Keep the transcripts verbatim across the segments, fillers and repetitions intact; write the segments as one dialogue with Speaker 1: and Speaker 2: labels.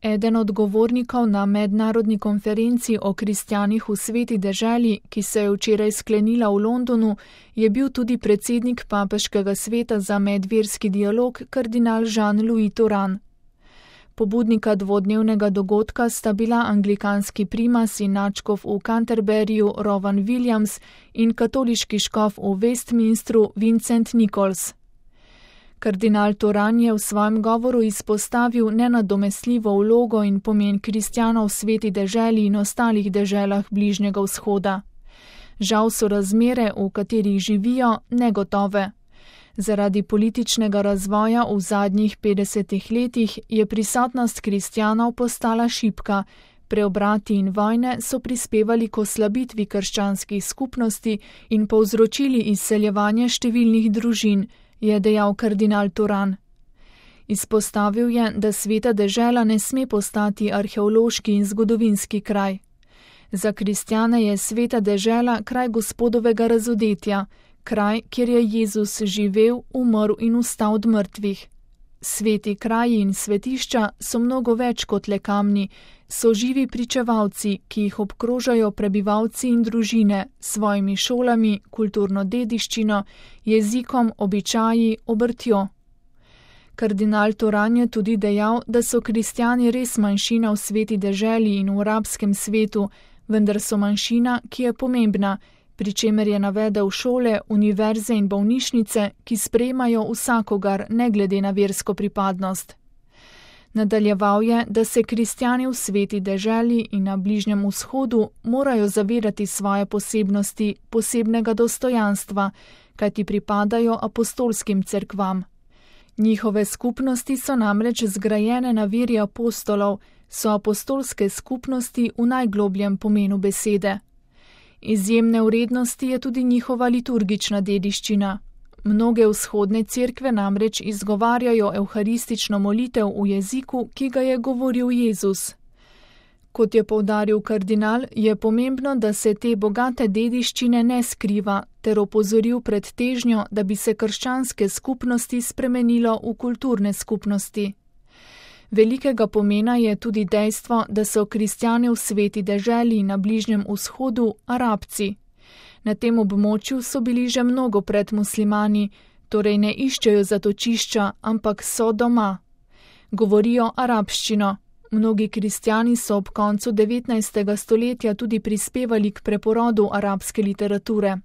Speaker 1: Eden od govornikov na mednarodni konferenci o kristjanih v sveti deželi, ki se je včeraj sklenila v Londonu, je bil tudi predsednik Papeškega sveta za medverski dialog kardinal Jean-Louis Thuran. Pobudnika dvodnevnega dogodka sta bila anglikanski primas in nadškof v Canterburyju Rowan Williams in katoliški škof v Westminstru Vincent Nichols. Kardinal Thuran je v svojem govoru izpostavil nenadomestljivo vlogo in pomen kristjanov v sveti deželi in ostalih deželah Bližnjega vzhoda. Žal so razmere, v katerih živijo, negotove. Zaradi političnega razvoja v zadnjih petdesetih letih je prisotnost kristjanov postala šibka, preobrati in vojne so prispevali k oslabitvi krščanskih skupnosti in povzročili izseljevanje številnih družin, je dejal kardinal Thuran. Izpostavil je, da sveta dežela ne sme postati arheološki in zgodovinski kraj. Za kristjane je sveta dežela kraj Gospodovega razodetja, kraj, kjer je Jezus živel, umrl in vstal od mrtvih. Sveti kraji in svetišča so mnogo več kot le kamni, so živi pričevalci, ki jih obkrožajo prebivalci in družine s svojimi šolami, kulturno dediščino, jezikom, običaji, obrtjo. Kardinal Thuran je tudi dejal, da so kristjani res manjšina v sveti deželi in v arabskem svetu, vendar so manjšina, ki je pomembna, pri čemer je navedel šole, univerze in bolnišnice, ki sprejemajo vsakogar, ne glede na versko pripadnost. Nadaljeval je, da se kristjani v sveti deželi in na Bližnjem vzhodu morajo zavedati svoje posebnosti, posebnega dostojanstva, kajti pripadajo apostolskim cerkvam. Njihove skupnosti so namreč zgrajene na veri apostolov, so apostolske skupnosti v najglobljem pomenu besede. Izjemne vrednosti je tudi njihova liturgična dediščina. Mnoge vzhodne cerkve namreč izgovarjajo evharistično molitev v jeziku, ki ga je govoril Jezus. Kot je poudaril kardinal, je pomembno, da se te bogate dediščine ne skriva, ter opozoril pred težnjo, da bi se krščanske skupnosti spremenilo v kulturne skupnosti. Velikega pomena je tudi dejstvo, da so kristjani v sveti deželi na Bližnjem vzhodu Arabci. Na tem območju so bili že mnogo pred muslimani, torej ne iščejo zatočišča, ampak so doma. Govorijo arabščino. Mnogi kristjani so ob koncu devetnajstega stoletja tudi prispevali k preporodu arabske literature.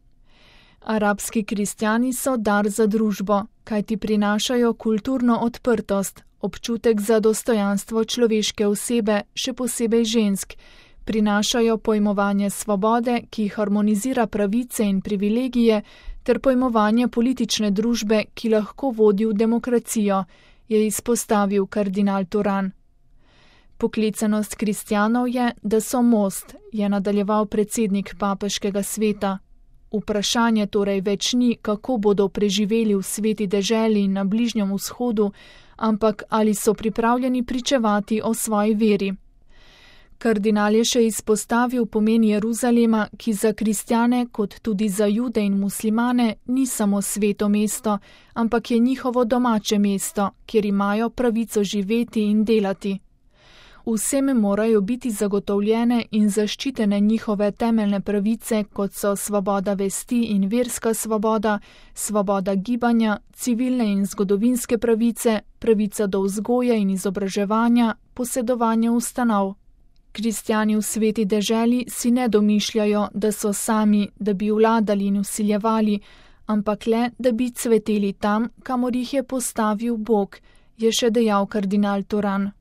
Speaker 1: Arabski kristjani so dar za družbo, kajti prinašajo kulturno odprtost, občutek za dostojanstvo človeške osebe, še posebej žensk, prinašajo pojmovanje svobode, ki harmonizira pravice in privilegije, ter pojmovanje politične družbe, ki lahko vodi v demokracijo, je izpostavil kardinal Thuran. Poklicanost kristjanov je, da so most, je nadaljeval predsednik Papeškega sveta. Vprašanje torej več ni, kako bodo preživeli v sveti deželi in na Bližnjem vzhodu, ampak ali so pripravljeni pričevati o svoji veri. Kardinal je še izpostavil pomen Jeruzalema, ki za kristjane, kot tudi za Jude in muslimane, ni samo sveto mesto, ampak je njihovo domače mesto, kjer imajo pravico živeti in delati. Vsem morajo biti zagotovljene in zaščitene njihove temeljne pravice, kot so svoboda vesti in verska svoboda, svoboda gibanja, civilne in zgodovinske pravice, pravica do vzgoje in izobraževanja, posedovanje ustanov. Kristjani v sveti deželi si ne domišljajo, da so sami, da bi vladali in vsiljevali, ampak le, da bi cveteli tam, kamor jih je postavil Bog, je še dejal kardinal Thuran.